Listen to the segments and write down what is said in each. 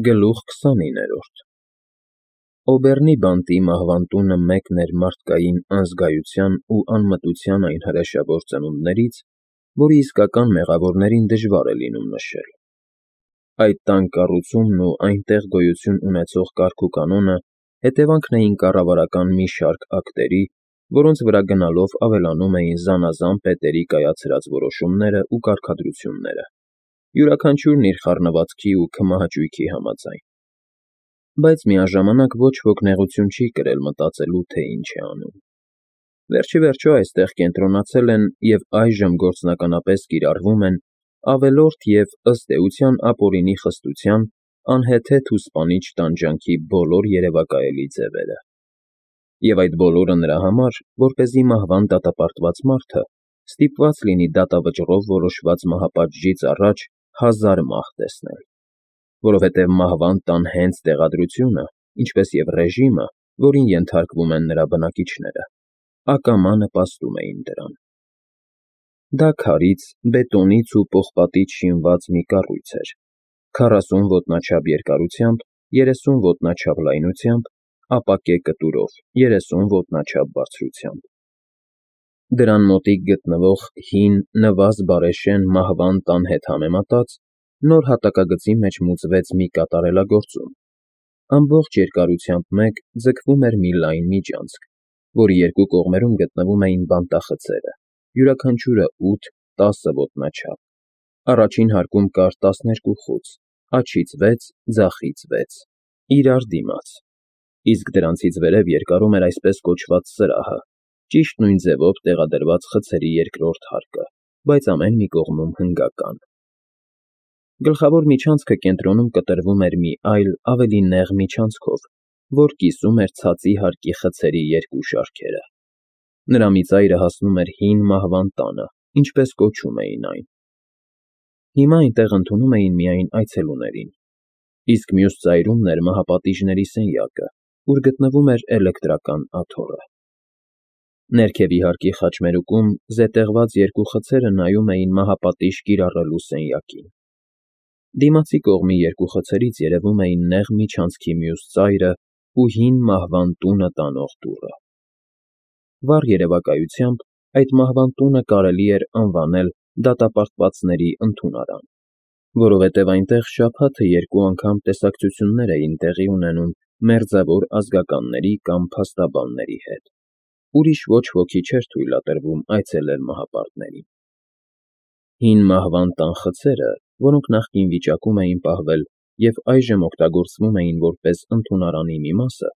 Գլուխ 29 Օբեռնի բանտի մահվան տունը մեկն էր մարդկային անզգայության ու անմտության այն հրեշավոր ծնունդներից, որի իսկական մեղավորներին դժվար է լինում նշել։ Այդ տան կառուցումն ու այնտեղ գոյություն ունեցող կարգուկանոնը հետևանքն էին կառավարական մի շարք ակտերի, որոնց վրա գնալով ավելանում էին զանազան պետերի կայացրած որոշումները ու կարգադրությունները, յուրաքանչյուրն իր խառնվածքի ու քմահաճույքի համաձայն։ Բայց միաժամանակ ոչ ոք նեղություն չի կրել մտածելու, թե ինչ է անում։ Վերջիվերջո այստեղ կենտրոնացել են և այժմ գործնականապես կիրառվում են ավելորդ և, ըստ էության, ապօրինի խստության, անհեթեթ ու սպանիչ տանջանքի բոլոր երևակայելի ձևերը։ Եվ այդ բոլորը նրա համար, որպեսզի մահվան դատապարտված մարդը ստիպված լինի դատավճռով որոշված մահապատժից առաջ 1000 մահ տեսնել, որովհետև մահվան տան հենց տեղադրությունը, ինչպես և ռեժիմը, որին ենթարկվում են նրա բնակիչները, ակամա նպաստում էին դրան։ Դա քարից, բետոնից ու պողպատից շինված մի կառույց էր, 40 ոտնաչափ երկարությամբ, 30 ոտնաչափ լայնությամբ, ապակե կտուրով, 30 ոտնաչափ բարձրությամբ։ Դրան մոտիկ գտնվող հին, նվազ բարեշեն մահվան տան հետ համեմատած, նոր հատակագծի մեջ մուծվեց մի կատարելագործում։ Ամբողջ երկարությամբ մեկ ձգվում էր մի լայն միջանցք, որի երկու կողմերում գտնվում էին բանտախցերը, յուրաքանչյուրը 8-10 ոտնաչափ։ Առաջին հարկում կար 12 խոց, աջից 6, ձախից 6, իրար դիմաց, իսկ դրանցից վերև երկարում էր այսպես կոչված սրահը, ճիշտ նույն ձևով տեղադրված խցերի երկրորդ հարկը, բայց ամեն մի կողմում հնգական։ Գլխավոր միջանցքը կենտրոնում կտրվում էր մի այլ, ավելի նեղ միջանցքով, որ կիսում էր ցածի հարկի խցերի երկու շարքերը։ Նրա մի ծայրը հասնում էր հին մահվան տանը, ինչպես կոչում էին այն։ Հիմա այնտեղ ընդունում էին միայն այցելուներին, իսկ մյուս ծայրումն էր մահապատիժների սենյակը, ուր գտնվում էր էլեկտրական աթոռը։ Ներքևի հարկի խաչմերուկում զետեղված երկու խցերը նայում էին մահապատիժ կիրառելու սենյակին։ Դիմացի կողմի երկու խցերից երևում էին նեղ միջանցքի մյուս ծայրը ու հին մահվան տունը տանող դուռը։ Վառ երևակայությամբ այդ մահվան տունը կարելի էր անվանել դատապարտվածների ընդունարան, որովհետև այնտեղ շաբաթը երկու անգամ տեսակցություններ էին տեղի ունենում մերձավոր ազգականների կամ փաստաբանների հետ։ Ուրիշ ոչ ոքի չէր թույլատրվում այցելել մահապարտներին։ Հին մահվան տան խցերը, որոնք նախկին վիճակում էին պահվել և այժմ օգտագործվում էին որպես ընդունարանի մի մասը,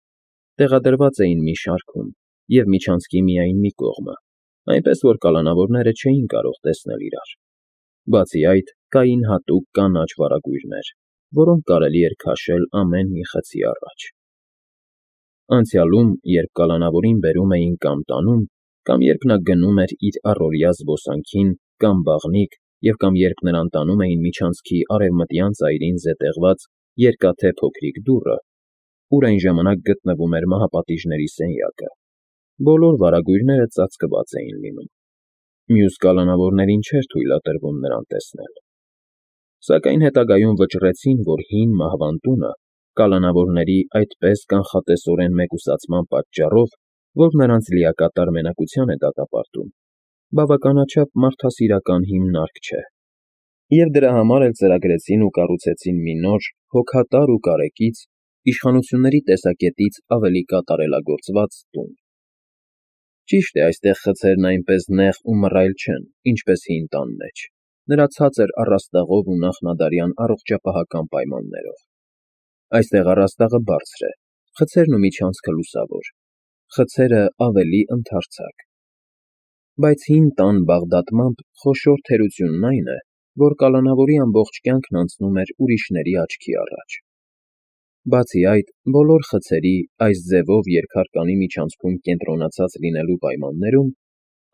տեղադրված էին մի շարքում և միջանցքի միայն մի կողմը, այնպես որ կալանավորները չէին կարող տեսնել իրար։ Բացի այդ, կային հատուկ կանաչ վարագույրներ, որոնք կարելի էր քաշել ամեն մի խցի առաջ։ Անցյալում, երբ կալանավորին բերում էին կամ տանում, կամ երբ նա գնում էր իր առօրյա զբոսանքին կամ բաղնիք և կամ երբ նրան տանում էին միջանցքի արևմտյան ծայրին զետեղված երկաթե փոքրիկ դուռը, ուր այն ժամանակ գտնվում էր մահապատիժների սենյակը, բոլոր վարագույրները ծածկված էին լինում։ Մյուս կալանավորներին չէր թույլատրվում նրան տեսնել։ Սակայն հետագայում վճռեցին, որ հին մահվան տունը կալանավորների այդպես կանխատեսորեն մեկուսացման պատճառով, որ նրանց լիակատար մենակության է դատապարտում, բավականաչափ մարդասիրական հիմնարկ չէ։ Եվ դրա համար էլ ծրագրեցին ու կառուցեցին մի նոր, հոգատար ու կարեկից, իշխանությունների տեսակետից ավելի կատարելագործված տուն։ Ճիշտ է, այստեղ խցերն այնպես նեղ ու մռայլ չեն, ինչպես հին տան մեջ, նրա ցածր առաստաղով ու նախնադարյան առողջապահական պայմաններով։ Այստեղ առաստաղը բարձր է, խցերն ու միջանցքը լուսավոր, խցերը ավելի ընդարձակ։ Բայց հին տան բաղդատմամբ խոշոր թերությունն այն է, որ կալանավորի ամբողջ կյանքն անցնում էր ուրիշների աչքի առաջ։ Բացի այդ, բոլոր խցերի այս ձևով երկհարկանի միջանցքում կենտրոնացած լինելու պայմաններում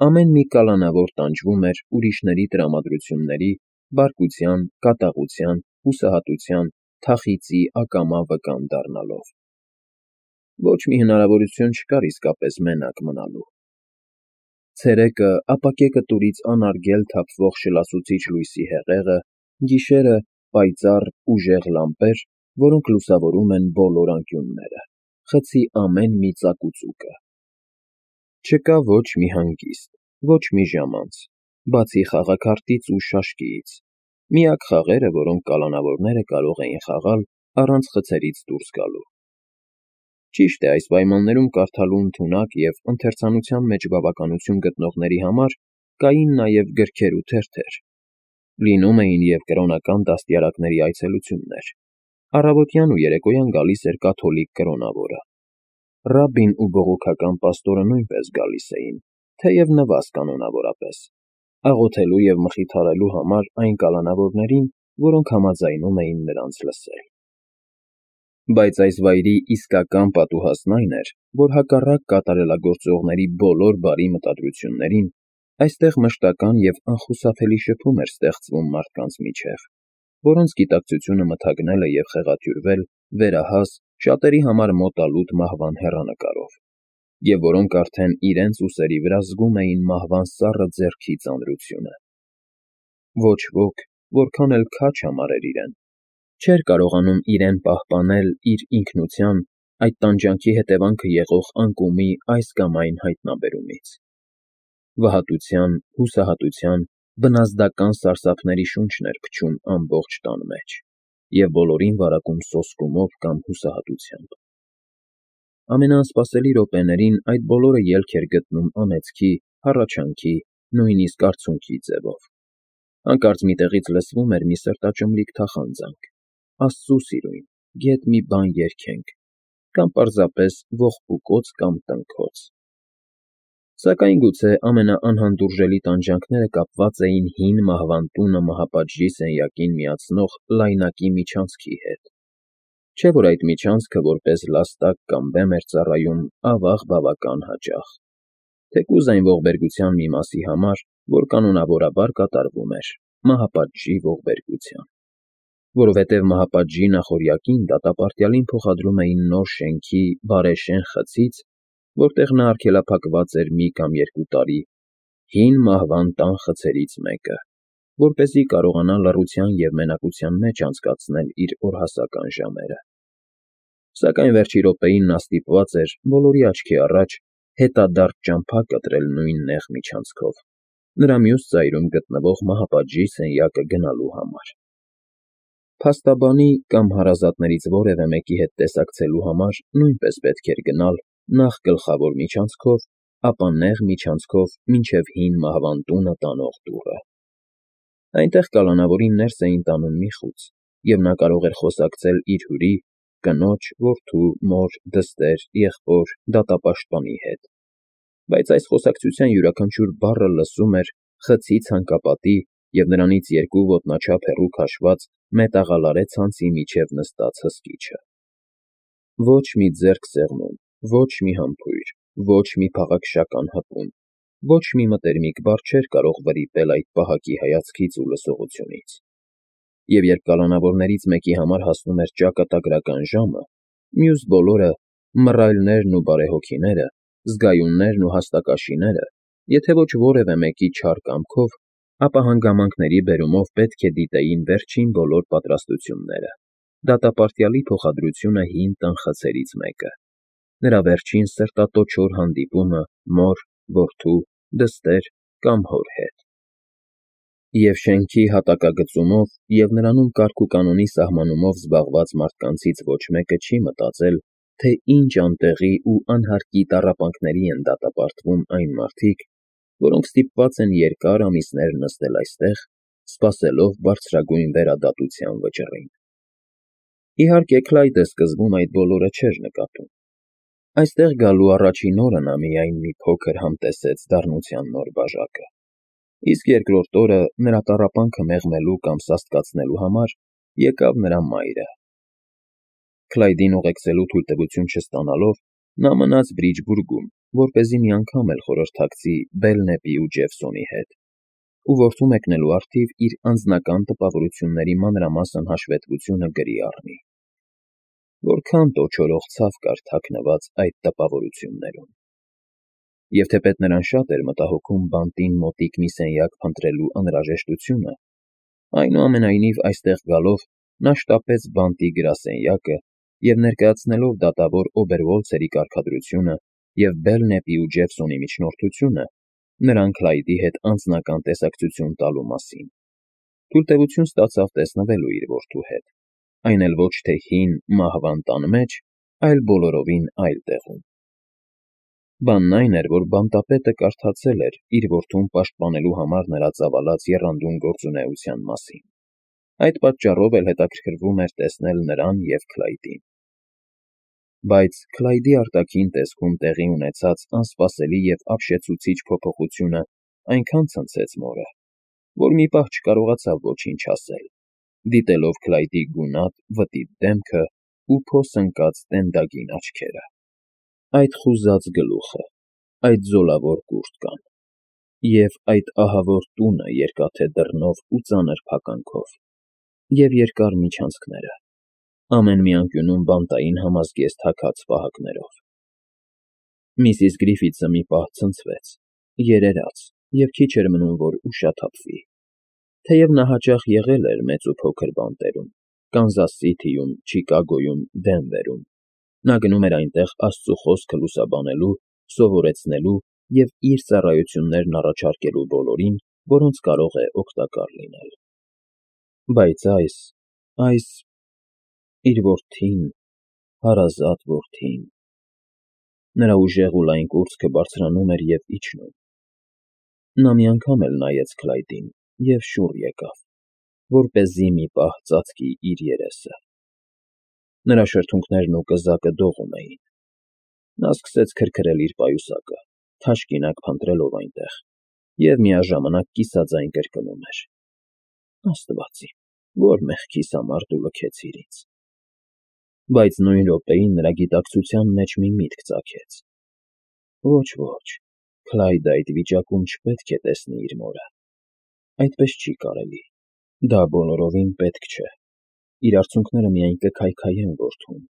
ամեն մի կալանավոր տանջվում էր ուրիշների տրամադրությունների, բարկության, կատաղության, հուսահատության, թախիծի ակամա վկան դառնալով։ Ոչ մի հնարավորություն չկար իսկապես մենակ մնալու։ Ցերեկը ապակե կտուրից անարգել թափվող շլասուցիչ լույսի հեղեղը, գիշերը՝ պայծառ, ուժեղ լամպեր որոնք լուսավորում են բոլոր անկյունները, խցի ամեն մի ծակ ու ծուկը։ Չկա ոչ մի հանգիստ, ոչ մի ժամանց, բացի խաղաքարտից ու շաշկիից, միակ խաղերը, որոնք կալանավորները կարող էին խաղալ առանց խցերից դուրս գալու։ Ճիշտ է, այս պայմաններում կարդալու ընդունակ և ընթերցանության մեջ բավականություն գտնողների համար կային նաև գրքեր ու թերթեր։ Լինում էին և կրոնական դաստիարակների այցելություններ։ Առավոտյան ու երեկոյան գալիս էր կաթոլիկ կրոնավորը։ Ռաբբին ու բողոքական պաստորը նույնպես գալիս էին, թեև նվազ կանոնավորապես, աղոթելու և մխիթարելու համար այն կալանավորներին, որոնք համաձայնում էին նրանց լսել։ Բայց այս վայրի իսկական պատուհասն այն էր, որ հակառակ կատարելագործողների բոլոր բարի մտադրություններին, այստեղ մշտական և անխուսափելի շփում էր ստեղծվում մարդկանց միջև, որոնց գիտակցությունը մթագնել է և խեղաթյուրվել վերահաս, շատերի համար մոտալուտ մահվան հեռանկարով, և որոնք արդեն իրենց ուսերի վրա զգում էին մահվան սառը ձեռքի ծանրությունը։ Ոչ ոք, որքան էլ քաջ համարեր իրեն, չէր կարողանում իրեն պահպանել իր ինքնության, այդ տանջանքի հետևանքը եղող անկումի այս կամ այն հայտնաբերումից։ Վհատության, հուսահատության, բնազդական սարսափների շունչն էր փչում ամբողջ տան մեջ և բոլորին վարակում սոսկումով կամ հուսահատությամբ։ Ամենաանսպասելի րոպեներին այդ բոլորը ելք էր գտնում անեծքի, հառաչանքի, նույնիսկ արցունքի ձևով։ Հանկարծ մի տեղից լսվում էր մի սրտաճմլիկ թախանձանք. «Աստծու սիրուն, գեթ մի բան երգենք», կամ պարզապես ողբուկոց կամ տնքոց։ Սակայն գուցե ամենաանհանդուրժելի տանջանքները կապված էին հին մահվան տունը մահապատժի սենյակին միացնող լայնակի միջանցքի հետ։ Չէ՞ որ այդ միջանցքը որպես լաստակ կամ բեմ էր ծառայում, ավաղ բավական հաճախ, թեկուզ այն ողբերգության մի մասի համար, որ կանոնավորաբար կատարվում էր մահապատժի ողբերգության։ Որովհետև մահապատժի նախօրյակին դատապարտյալին փոխադրում էին նոր շենքի բարեշեն խցից, որտեղ նա արգելափակված էր մի կամ երկու տարի, հին մահվան տան խցերից մեկը, որպեսզի կարողանա լռության և մենակության մեջ անցկացնել իր օրհասական ժամերը։ Սակայն վերջի րոպեին նա ստիպված էր, բոլորի աչքի առաջ, հետադարձ ճամփա կտրել նույն նեղ միջանցքով, նրա մյուս ծայրում գտնվող մահապատժի սենյակը գնալու համար։ Փաստաբանի կամ հարազատներից որևէ մեկի հետ տեսակցելու համար նույնպես պետք էր գնալ նախ գլխավոր միջանցքով, ապա նեղ միջանցքով մինչև հին մահվան տունը տանող դուռը։ Այնտեղ կալանավորին ներս էին տանում մի խուց, և նա կարող էր խոսակցել իր հյուրի, կնոջ, որդու, մոր, դստեր, եղբոր, դատապաշտպանի հետ։ Բայց այս խոսակցության յուրաքանչյուր բառը լսում էր խցի ցանկապատի և նրանից երկու ոտնաչափ հեռու քաշված մետաղալարե ցանցի միջև նստած հսկիչը։ Ոչ մի ձեռք սեղմում, ոչ մի համբույր, ոչ մի փաղաքշական հպում, ոչ մի մտերմիկ բառ չէր կարող վրիպել այդ պահակի հայացքից ու լսողությունից։ Եվ երբ կալանավորներից մեկի համար հասնում էր ճակատագրական ժամը, մյուս բոլորը, մռայլներն ու բարեհոգիները, զգայուններն ու հաստակաշիները, եթե ոչ որևէ մեկի չար կամքով, ապա հանգամանքների բերումով պետք է դիտեին վերջին բոլոր պատրաստությունները, դատապարտյալի փոխադրությունը հին տան խցերից մեկը, նրա վերջին սրտատոչոր հանդիպումը մոր, որդու, դստեր կամ հոր հետ։ Եվ շենքի հատակագծումով և նրանում կարգ ու կանոնի սահմանումով զբաղված մարդկանցից ոչ մեկը չի մտածել, թե ինչ անտեղի ու անհարկի տառապանքների են դատապարտվում այն մարդիկ, որոնք ստիպված են երկար ամիսներ նստել այստեղ, սպասելով բարձրագույն վերադատության վճռին։ Իհարկե, Քլայդը սկզբում այդ բոլորը չէր նկատում։ Այստեղ գալու առաջին օրը նա միայն մի փոքր համտեսեց դառնության նոր բաժակը, իսկ երկրորդ օրը, նրա տառապանքը մեղմելու կամ սաստկացնելու համար, եկավ նրա մայրը։ Քլայդին ուղեկցելու թույլտվություն չստանալով, նա մնաց Բրիջբուրգում, որպեսզի մի անգամ էլ խորհրդակցի Բելնեպի ու Ջեֆսոնի հետ, ու որդու մեկնելու առթիվ իր անձնական տպավորությունների մանրամասն հաշվետվությունը գրի առնի։ Որքան տոչորող ցավ կար թաքնված այդ տպավորություններում։ Եվ թեպետ նրան շատ էր մտահոգում բանտին մոտիկ մի սենյակ փնտրելու անհրաժեշտությունը, այնուամենայնիվ այստեղ գալով նա շտապեց բանտի գրասենյակը և ներկայացնելով դատավոր Օբերվոլցերի կարգադրությունը և Բելնեպի ու Ջեֆսոնի միջնորդությունը, նրան Քլայդի հետ անձնական տեսակցություն տալու մասին, թույլտվություն ստացավ տեսնվելու իր որդու հետ, այն էլ ոչ թե հին, մահվան տան մեջ, այլ բոլորովին այլ տեղում։ Բանն այն էր, որ բանտապետը կարդացել էր իր որդուն պաշտպանելու համար նրա ծավալած եռանդուն գործունեության մասին, այդ պատճառով էլ հետաքրքրվում էր տեսնել նրան և Քլայդին։ Բայց Քլայդի արտաքին տեսքում տեղի ունեցած անսպասելի և ապշեցուցիչ փոփոխությունը այնքան ցնցեց մորը, որ մի պահ չկարողացավ ոչինչ ասել, դիտելով Քլայդի գունատ, վտիտ դեմքը ու փոս ընկած տենդագին աչքերը։ Այդ խուզած գլուխը, այդ զոլավոր կուրտկան և այդ ահավոր տունը երկաթե դռնով ու ծանր փականքով և երկար միջանցքները, ամեն մի անկյունում բանտային համազգեստ հագած պահակներով։ Միսիս Գրիֆիթսը մի պահ ցնցվեց, երերաց և քիչ էր մնում, որ ուշաթափվի, թեև նա հաճախ եղել էր մեծ ու փոքր բանտերում, Կանզաս Սիթիում, Չիկագոյում, Դենվերում, նա գնում էր այնտեղ Աստծու խոսքը լուսաբանելու, սովորեցնելու և իր ծառայություններն առաջարկելու բոլորին, որոնց կարող է օգտակար լինել։ Բայց այս… իր որդին, հարազատ որդին… Նրա ուժեղ ու լայն կուրծքը բարձրանում էր և իջնում։ Նա մի անգամ էլ նայեց Քլայդին և շուռ եկավ, որպեսզի մի պահ ծածկի իր երեսը։ Նրա շրթունքներն ու կզակը դողում էին։ Նա սկսեց քրքրել իր պայուսակը, թաշկինակ փնտրելով այնտեղ, և միաժամանակ կիսաձայն կրկնում էր. «Աստված իմ, որ մեղքիս համար դու լքեցիր ինձ»։ Բայց նույն րոպեին նրա գիտակցության մեջ մի միտք ծագեց. ոչ, Քլայդը այդ վիճակում չպետք է տեսնի իր մորը։ Այդպես չի կարելի, դա բոլորովին պետք չէ, իր արցունքները միայն կքայքայեն որդուն։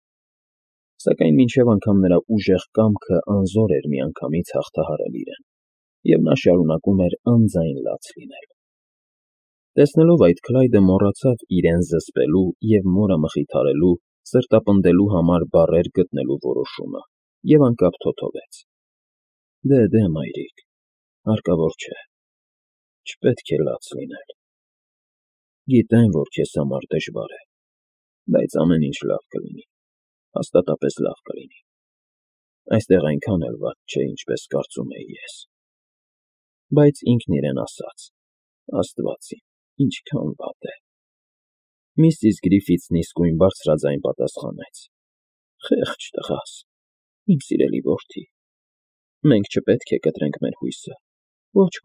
Սակայն մինչև անգամ նրա ուժեղ կամքը անզոր էր միանգամից հաղթահարել իրեն, և նա շարունակում էր անձայն լաց լինել։ Տեսնելով այդ, Քլայդը մոռացավ իրեն զսպելու և մորը մխիթարելու, սրտապնդելու համար բառեր գտնելու որոշումը և անկապ թոթվեց. Դե, մայրիկ, հարկավոր չէ, չպետք է լաց լինել։ Գիտեմ, որ քեզ համար դժվար է, բայց ամեն ինչ լավ կլինի, հաստատապես լավ կլինի։ Այստեղ այնքան էլ վատ չէ, ինչպես կարծում էի ես։ Բայց ինքն իրեն ասաց. Աստված իմ, ինչքան վատ է։ Միսիս Գրիֆիթսն իսկույն բարձրաձայն պատասխանեց. Խեղճ տղաս, իմ սիրելի որդի, մենք չպետք է կտրենք մեր հույսը, ոչ,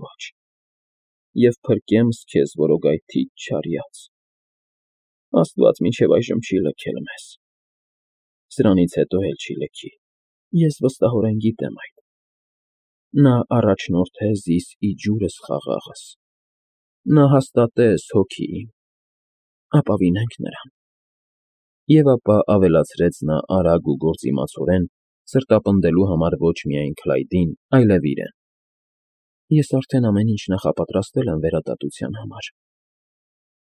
և փրկեմս քեզ որոգայթիչ չարյաց։ Աստված մինչև այժմ չի լքել մեզ, սրանից հետո էլ չի լքի, ես վստահորեն գիտեմ այդ։ Նա առաջնորդե զիս ի ջուրս խաղաղս, նա հաստատես հոգի իմ, ապավինենք նրան։ Եվ ապա ավելացրեց նա արագ ու գործիմացորեն, սրտապնդելու համար ոչ միայն Քլայդին, այլև իրեն. Ես արդեն ամեն ինչ նախապատրաստել եմ վերադատության համար։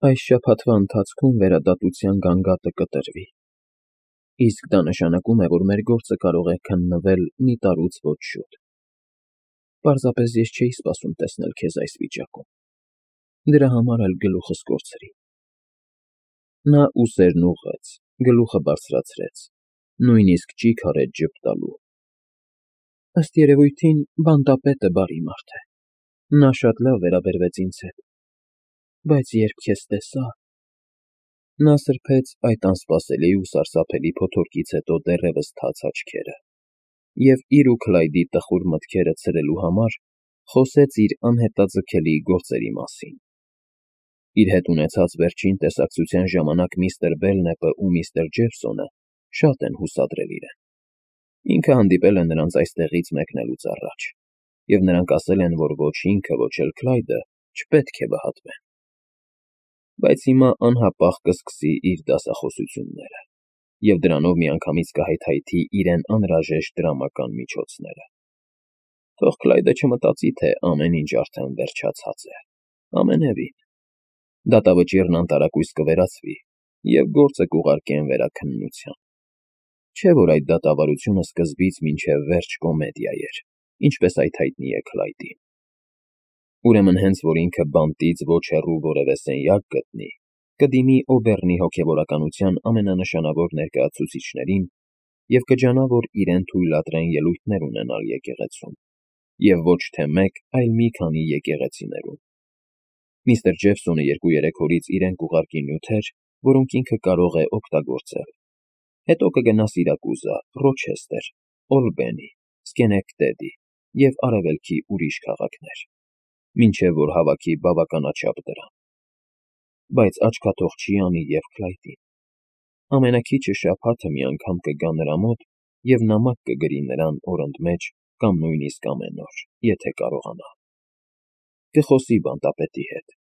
Այս շաբաթվա ընթացքում վերադատության գանգատը կտրվի, իսկ դա նշանակում է, որ մեր գործը կարող է քննվել մի տարուց ոչ շուտ։ Պարզապես ես չէի սպասում տեսնել քեզ այս վիճակում, դրա համար էլ գլուխս կորցրի։ Նա ուսերն ուղղեց, գլուխը բարձրացրեց, նույնիսկ ճիգ արեց ժպտալու։ Ըստ երևույթին, բանտապետը բարի մարդ է, նա շատ լավ վերաբերվեց ինձ հետ, բայց երբ քեզ տեսա… Նա սրբեց այդ անսպասելի ու սարսափելի փոթորկից հետո դեռևս թաց աչքերը և իր ու Քլայդի տխուր մտքերը ցրելու համար խոսեց իր անհետաձգելի գործերի մասին։ Իր հետ ունեցած վերջին տեսակցության ժամանակ միստր Բելնեպը ու միստր Ջեֆսոնը շատ են հուսադրել իրեն։ Ինքը հանդիպել է նրանց այստեղից մեկնելուց առաջ, և նրանք ասել են, որ ոչ ինքը, ոչ էլ Քլայդը չպետք է վհատվեն։ Բայց հիմա անհապաղ կսկսի իր դասախոսությունները, և դրանով միանգամից կհայթայթի իրեն անհրաժեշտ դրամական միջոցները։ Թող Քլայդը չմտածի, թե ամեն ինչ արդեն վերջացած է, ամենևին։ Դատավճիռն անտարակույս կվերացվի, և գործը կուղարկեն վերաքննության։ Չէ՞ որ այդ դատավարությունը սկզբից մինչև վերջ կոմեդիա էր, ինչպես այդ հայտնի է Քլայդին։ Ուրեմն հենց որ ինքը բանտից ոչ հեռու որևէ սենյակ գտնի, կդիմի Օբեռնի հոգևորականության ամենանշանավոր ներկայացուցիչներին և կջանա, որ իրեն թույլատրեն ելույթներ ունենալ եկեղեցում, և ոչ թե մեկ, այլ մի քանի եկեղեցիներում։ Միստր Ջեֆսոնը 2-3 օրից իրեն կուղարկի նյութեր, որոնք ինքը կարող է օգտագործել։ Հետո կգնա Սիրակուզա, Ռոչեստեր, Օլբենի, Սկենեկտեդի և Արևելքի ուրիշ քաղաքներ, մինչև որ հավաքի բավականաչափ դրամ։ Բայց աչքաթող չի անի և Քլայդին։ Ամենաքիչը շաբաթը մի անգամ կգա նրա մոտ և նամակ կգրի նրան օրընդ մեջ կամ նույնիսկ ամեն օր, եթե կարողանա։ Կխոսի բանտապետի հետ։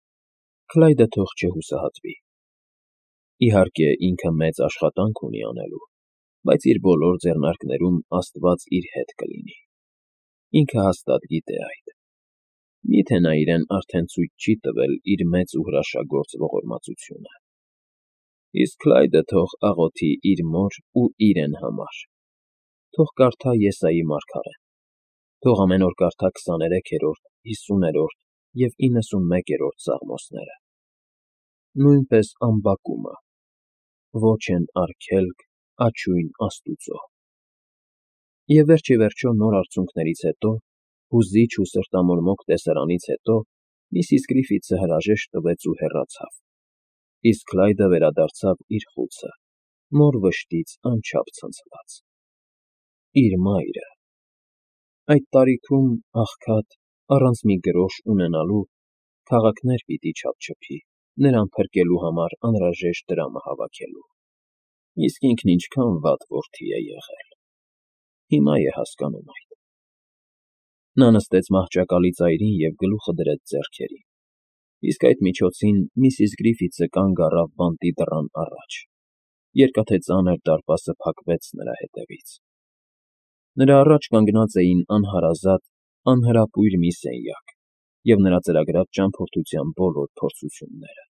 Քլայդը թող չհուսահատվի։ Իհարկե, ինքը մեծ աշխատանք ունի անելու, բայց իր բոլոր ձեռնարկներում Աստված իր հետ կլինի։ Ինքը հաստատ գիտե այդ։ Միթե նա իրեն արդեն ցույց չի տվել իր մեծ ու հրաշագործ ողորմածությունը։ Իսկ Քլայդը թող աղոթի իր մոր ու իրեն համար։ Թող կարդա Եսայի մարգարեն։ Թող ամեն օր կարդա 23-րդ, 50-րդ և 91-րդ Սաղմոսները։ Նույնպես Ամբակումը. «Ոչ են արգելք, աչույն Աստուծո»։ Եվ վերջիվերջո նոր արցունքներից հետո, հուզիչ ու սրտամորմոկ տեսարանից հետո միսիս Գրիֆիթսը հրաժեշտ տվեց ու հեռացավ, իսկ Քլայդը վերադարձավ իր խուցը, մոր վշտից անչափ ցնցված։ Իր մայրը… Այդ տարիքում, աղքատ, առանց մի գրոշ ունենալու, քաղաքներ պիտի չափչփի, նրան փրկելու համար անհրաժեշտ դրամը հավաքելու։ Իսկ ինքն ինչքան վատ որդի է եղել… Հիմա է հասկանում այդ։ Նա նստեց մահճակալի ծայրին և գլուխը դրեց ձեռքերին, իսկ այդ միջոցին միսիս Գրիֆիթսը կանգ առավ բանտի դռան առաջ, երկաթե ծանր դարպասը փակվեց նրա հետևից։ Նրա առաջ կանգնած էին անհարազատ, անհրապույր մի սենյակ և նրա ծրագրած ճամփորդության բոլոր փորձությունները։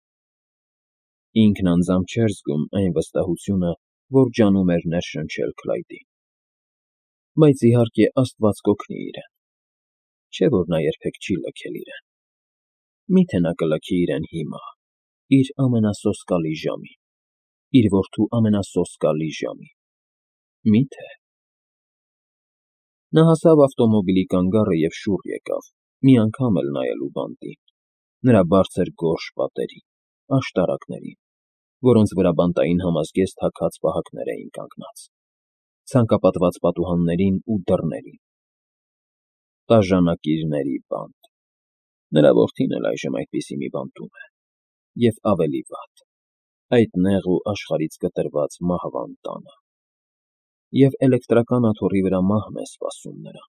Ինքն անձամբ չէր զգում այն վստահությունը, որ ջանում էր ներշնչել Քլայդին։ Բայց իհարկե Աստված կօգնի իրեն։ Չէ՞ որ նա երբեք չի լքել իրեն։ Մի՞թե նա կլքի իրեն հիմա, իր ամենասոսկալի ժամին, իր որդու ամենասոսկալի ժամին։ Մի՞թե… Նա հասավ ավտոմոբիլի կանգառը և շուռ եկավ, մի անգամ էլ նայելու բանտին, նրա բարձր գորշ պատերին, աշտարակներին, որոնց վրա բանտային համազգեստ հագած պահակներ էին կանգնած, ցանկապատված պատուհաններին ու դռներին։ Բաժանակիրների բանտ… Նրա որդին էլ այժմ այդպիսի մի բանտում է, և ավելի վատ, այդ նեղ ու աշխարհից կտրված մահվան տանը։ Եվ էլեկտրական աթոռի վրա մահն է սպասում նրան…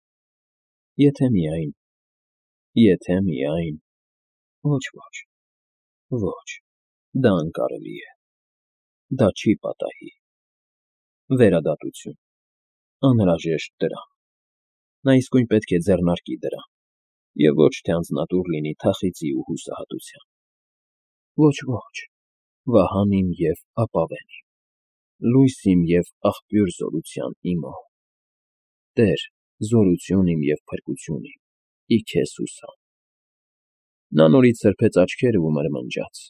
Եթե միայն… Ոչ, ոչ, դա անկարելի է, դա չի պատահի… Վերադատություն… Անհրաժեշտ դրամ… Նա իսկույն պետք է ձեռնարկի դրամ, և ոչ թե անձնատուր լինի թախիծի ու հուսահատության… Ոչ, վահան իմ և ապավեն իմ, լույս իմ և աղբյուր զորության իմո… Տեր, զորություն իմ և փրկություն իմ, ի քեզ հուսամ… Նա նորից սրբեց աչքերը ու մրմնջաց.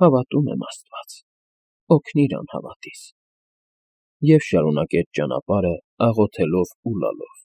«Հավատում եմ, Աստված, օգնիր անհավատիս»… և շարունակեց ճանապարհը աղոթելով ու լալով։